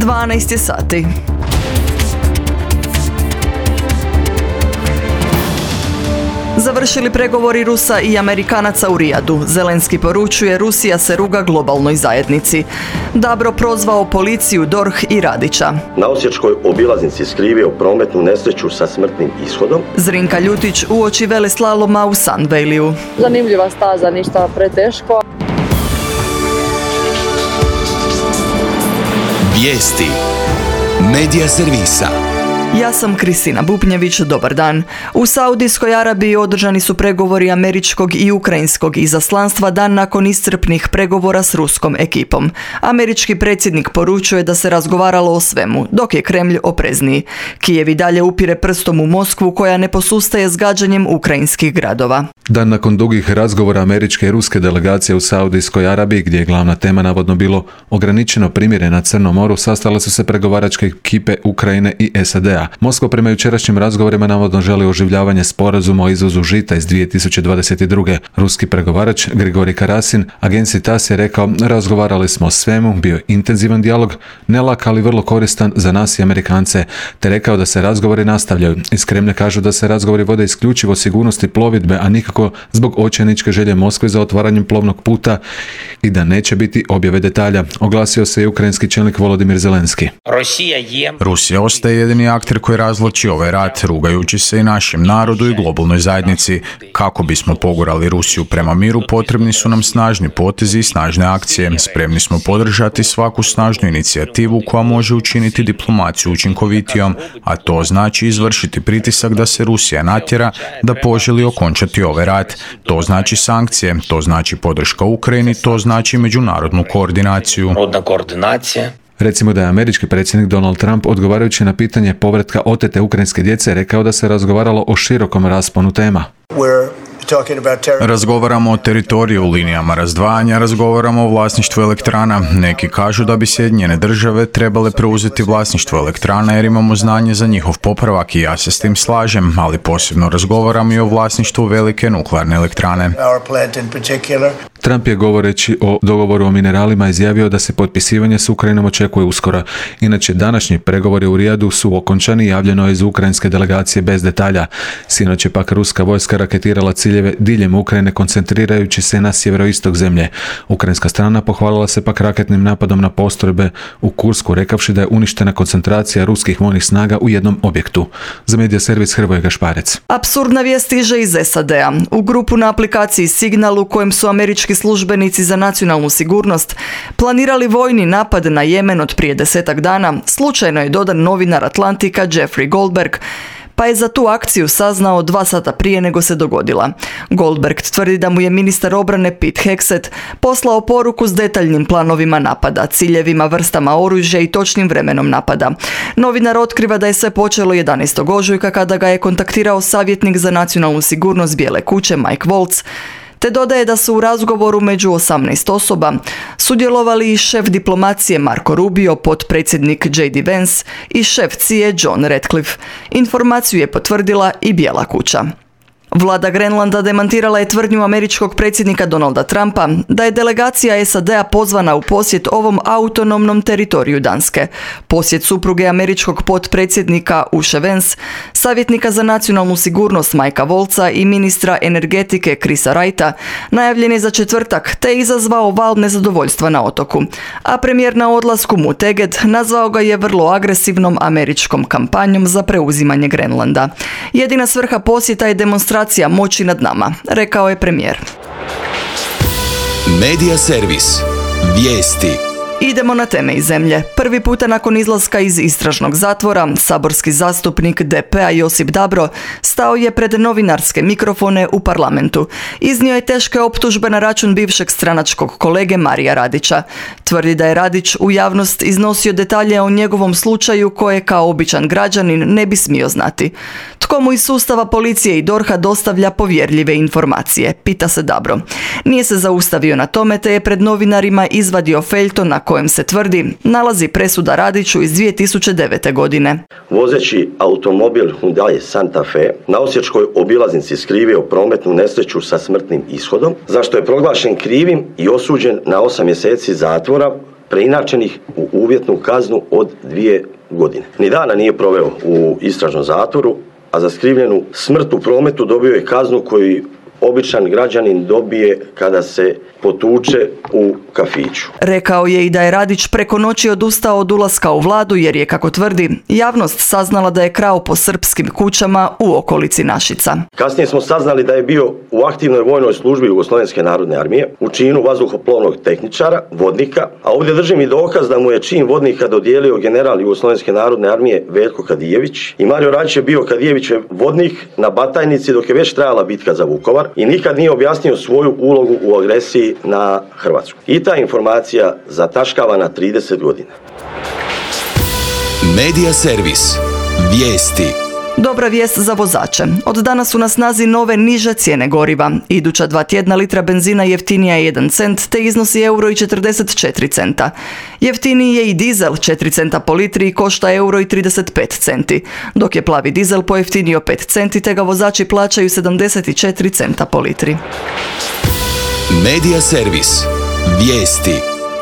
12 je sati. Završili pregovori Rusa i Amerikanaca u Rijadu. Zelenski poručuje Rusija se ruga globalnoj zajednici. Dabro prozvao policiju, DORH i Radića. Na osječkoj obilaznici skrivio prometnu nesreću sa smrtnim ishodom. Zrinka Ljutić uoči veleslaloma u Sunvalleyu. Zanimljiva staza, ništa preteško. Vijesti Medija servisa. Ja sam Kristina Bupnjević, dobar dan. U Saudijskoj Arabiji održani su pregovori američkog i ukrajinskog izaslanstva dan nakon iscrpnih pregovora s ruskom ekipom. Američki predsjednik poručuje da se razgovaralo o svemu, dok je Kremlj oprezniji. Kijev i dalje upire prstom u Moskvu koja ne posustaje s gađanjem ukrajinskih gradova. Dan nakon dugih razgovora američke i ruske delegacije u Saudijskoj Arabiji, gdje je glavna tema navodno bilo ograničeno primirje na Crnom moru, sastale su se pregovaračke ekipe Ukrajine i SAD-a. Moskva prema jučerašnjim razgovorima navodno želi oživljavanje sporazuma o izvozu žita iz 2022. Ruski pregovarač Grigorij Karasin agenciji TASS je rekao: razgovarali smo o svemu, bio je intenzivan dijalog, ne lak ali vrlo koristan za nas i Amerikance, te rekao da se razgovori nastavljaju. Iz Kremlja kažu da se razgovori vode isključivo o sigurnosti plovidbe, a nikako zbog očajničke želje Moskve za otvaranjem plovnog puta i da neće biti objave detalja. Oglasio se i ukrajinski čelnik Volodimir Zelenski. Rusija ostaje jedini akter koji razvlači ovaj rat, rugajući se i našem narodu i globalnoj zajednici. Kako bismo pogurali Rusiju prema miru, potrebni su nam snažni potezi i snažne akcije. Spremni smo podržati svaku snažnu inicijativu koja može učiniti diplomaciju učinkovitijom, a to znači izvršiti pritisak da se Rusija natjera da poželi okončati ovaj rat. To znači sankcije, to znači podrška Ukrajini, to znači međunarodnu koordinaciju. Recimo da je američki predsjednik Donald Trump, odgovarajući na pitanje povratka otete ukrajinske djece, rekao da se razgovaralo o širokom rasponu tema. Razgovaramo o teritoriju, linijama razdvajanja, razgovaramo o vlasništvu elektrana. Neki kažu da bi Sjedinjene države trebale preuzeti vlasništvo elektrana jer imamo znanje za njihov popravak i ja se s tim slažem, ali posebno razgovaramo i o vlasništvu velike nuklearne elektrane. Trump je, govoreći o dogovoru o mineralima, izjavio da se potpisivanje s Ukrajinom očekuje uskoro. Inače, današnji pregovori u Rijadu su okončani, javljeno je iz ukrajinske delegacije bez detalja. Sinoć je pak ruska vojska raketirala ciljeve diljem Ukrajine, koncentrirajući se na sjeveroistok zemlje. Ukrajinska strana pohvalila se pak raketnim napadom na postrojbe u Kursku, rekavši da je uništena koncentracija ruskih vojnih snaga u jednom objektu. Za medija servis Hrvoje Gašparec. Apsurdna vijest stiže iz SAD-a. U grupu na aplikaciji Signal, u kojem su američki službenici za nacionalnu sigurnost planirali vojni napad na Jemen od prije 10 dana, slučajno je dodan novinar Atlantika Jeffrey Goldberg, pa je za tu akciju saznao 2 sata prije nego se dogodila. Goldberg tvrdi da mu je ministar obrane Pete Hegseth poslao poruku s detaljnim planovima napada, ciljevima, vrstama oružja i točnim vremenom napada. Novinar otkriva da je sve počelo 11. ožujka kada ga je kontaktirao savjetnik za nacionalnu sigurnost Bijele kuće Mike Waltz, te dodaje da su u razgovoru među 18 osoba sudjelovali i šef diplomacije Marco Rubio, potpredsjednik J.D. Vance i šef CIA John Ratcliffe. Informaciju je potvrdila i Bijela kuća. Vlada Grenlanda demantirala je tvrdnju američkog predsjednika Donalda Trumpa da je delegacija SAD-a pozvana u posjet ovom autonomnom teritoriju Danske. Posjet supruge američkog potpredsjednika Ushe Vance, savjetnika za nacionalnu sigurnost Mikea Waltza i ministra energetike Chrisa Wrighta najavljen je za četvrtak, te je izazvao val nezadovoljstva na otoku. A premijer na odlasku Mutteget nazvao ga je vrlo agresivnom američkom kampanjom za preuzimanje Grenlanda. Jedina svrha posjeta je demonstracija moći nad nama, rekao je premijer. Medija servis. Vijesti. Idemo na teme iz zemlje. Prvi puta nakon izlaska iz istražnog zatvora, saborski zastupnik DP-a Josip Dabro stao je pred novinarske mikrofone u parlamentu. Iznio je teške optužbe na račun bivšeg stranačkog kolege Marija Radića. Tvrdi da je Radić u javnost iznosio detalje o njegovom slučaju koje kao običan građanin ne bi smio znati. Tko mu iz sustava policije i DORH-a dostavlja povjerljive informacije, pita se Dabro. Nije se zaustavio na tome, te je pred novinarima izvadio feljton na kojem se tvrdi nalazi presuda Radiću iz 2009. godine. Vozeći automobil Hyundai Santa Fe na osječkoj obilaznici skrivio prometnu nesreću sa smrtnim ishodom, za što je proglašen krivim i osuđen na 8 mjeseci zatvora preinačenih u uvjetnu kaznu od 2 godine. Ni dana nije proveo u istražnom zatvoru, a za skrivljenu smrt u prometu dobio je kaznu koju običan građanin dobije kada se potuče u kafiću. Rekao je i da je Radić preko noći odustao od ulaska u vladu jer je, kako tvrdi, javnost saznala da je krao po srpskim kućama u okolici Našica. Kasnije smo saznali da je bio u aktivnoj vojnoj službi Jugoslovenske narodne armije u činu vazduhoplovnog tehničara, vodnika, a ovdje držim i dokaz da mu je čin vodnika dodijelio general Jugoslovenske narodne armije Veljko Kadijević i Mario Radić je bio Kadijevićev vodnik na Batajnici dok je već trajala bitka za Vukovar i nikad nije objasnio svoju ulogu u agresiji na Hrvatsku. I ta informacija zataškava na 30 godina. Medija servis. Vijesti. Dobra vijest za vozače. Od danas su na snazi nove niže cijene goriva. Iduća 2 tjedna litra benzina jeftinija je 1 cent te iznosi €1,44. Jeftiniji je i dizel 4 centa po litri i košta €1,35 centi, dok je plavi dizel pojeftinio 5 centi te ga vozači plaćaju 74 centa po litri. Medija servis. Vijesti.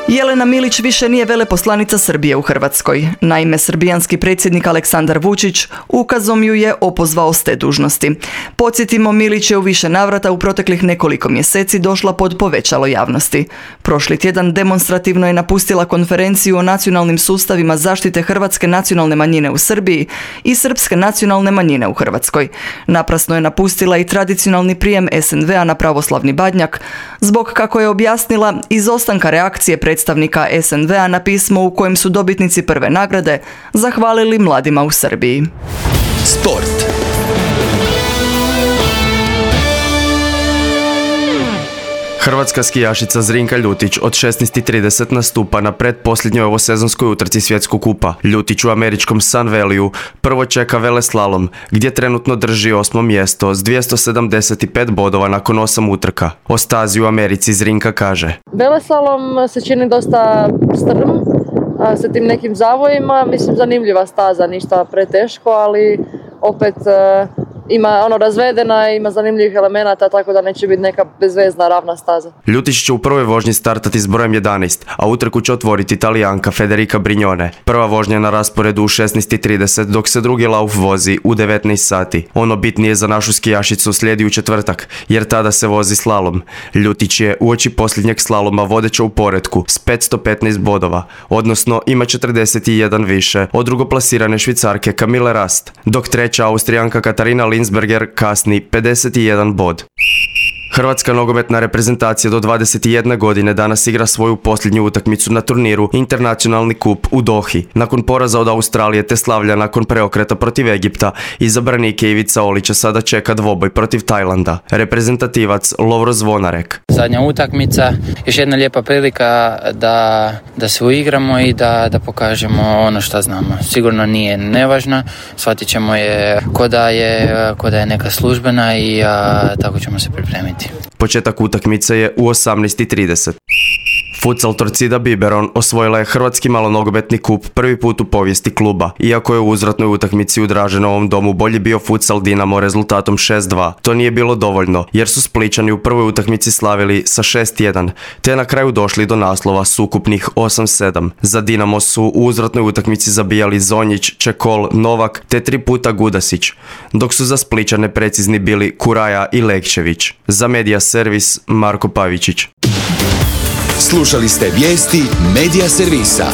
Jelena Milić više nije veleposlanica Srbije u Hrvatskoj. Naime, srbijanski predsjednik Aleksandar Vučić ukazom ju je opozvao s te dužnosti. Podsjetimo, Milić je u više navrata u proteklih nekoliko mjeseci došla pod povećalo javnosti. Prošli tjedan demonstrativno je napustila konferenciju o nacionalnim sustavima zaštite hrvatske nacionalne manjine u Srbiji i srpske nacionalne manjine u Hrvatskoj. Naprasno je napustila i tradicionalni prijem SNV-a na pravoslavni Badnjak, zbog, kako je objasnila, izostanka reakcije predstavnika SNV-a na pismo u kojem su dobitnici prve nagrade zahvalili mladima u Srbiji. Sport. Hrvatska skijašica Zrinka Ljutić od 16:30 nastupa na pretposljednjoj ovosezonskoj utrci svjetskog kupa. Ljutić u američkom Sun Valleyu prvo čeka veleslalom, gdje trenutno drži 8. mjesto s 275 bodova nakon 8 utrka. O stazi u Americi Zrinka kaže: Veleslalom se čini dosta strm, sa tim nekim zavojima. Mislim, zanimljiva staza, ništa preteško, ali opet ima razvedena, ima zanimljivih elemenata, tako da neće biti neka bezvezna ravna staza. Ljutić će u prvoj vožnji startati s brojem 11, a utrku će otvoriti Talijanka Federica Brignone. Prva vožnja je na rasporedu u 16:30, dok se drugi lauf vozi u 19 sati. Ono bitnije za našu skijašicu slijedi u četvrtak, jer tada se vozi slalom. Ljutić je uoči posljednjeg slaloma vodeća u poretku s 515 bodova, odnosno ima 41 više od drugoplasirane Švicarke Camille Rast, dok treća Austrijanka Katarina Linsberger kasni 51 bod. Hrvatska nogometna reprezentacija do 21 godine danas igra svoju posljednju utakmicu na turniru Internacionalni kup u Dohi. Nakon poraza od Australije te slavlja nakon preokreta protiv Egipta, izabranike Ivica Olića sada čeka dvoboj protiv Tajlanda. Reprezentativac Lovro Zvonarek: zadnja utakmica, još jedna lijepa prilika da se uigramo i da pokažemo ono što znamo. Sigurno nije nevažna, shvatit ćemo je ko da je neka službena i tako ćemo se pripremiti. Početak utakmice je u 18:30. Futsal Torcida Biberon osvojila je hrvatski malonogometni kup prvi put u povijesti kluba. Iako je u uzvratnoj utakmici u Draženovom domu bolji bio futsal Dinamo rezultatom 6:2. To nije bilo dovoljno, jer su Splićani u prvoj utakmici slavili sa 6:1, te na kraju došli do naslova s ukupnih 8:7. Za Dinamo su u uzvratnoj utakmici zabijali Zonjić, Čekol, Novak te 3 puta Gudasić, dok su za Splićane precizni bili Kuraja i Lekčević. Za Medija servis Marko Pavičić. Slušali ste vijesti Medija servisa.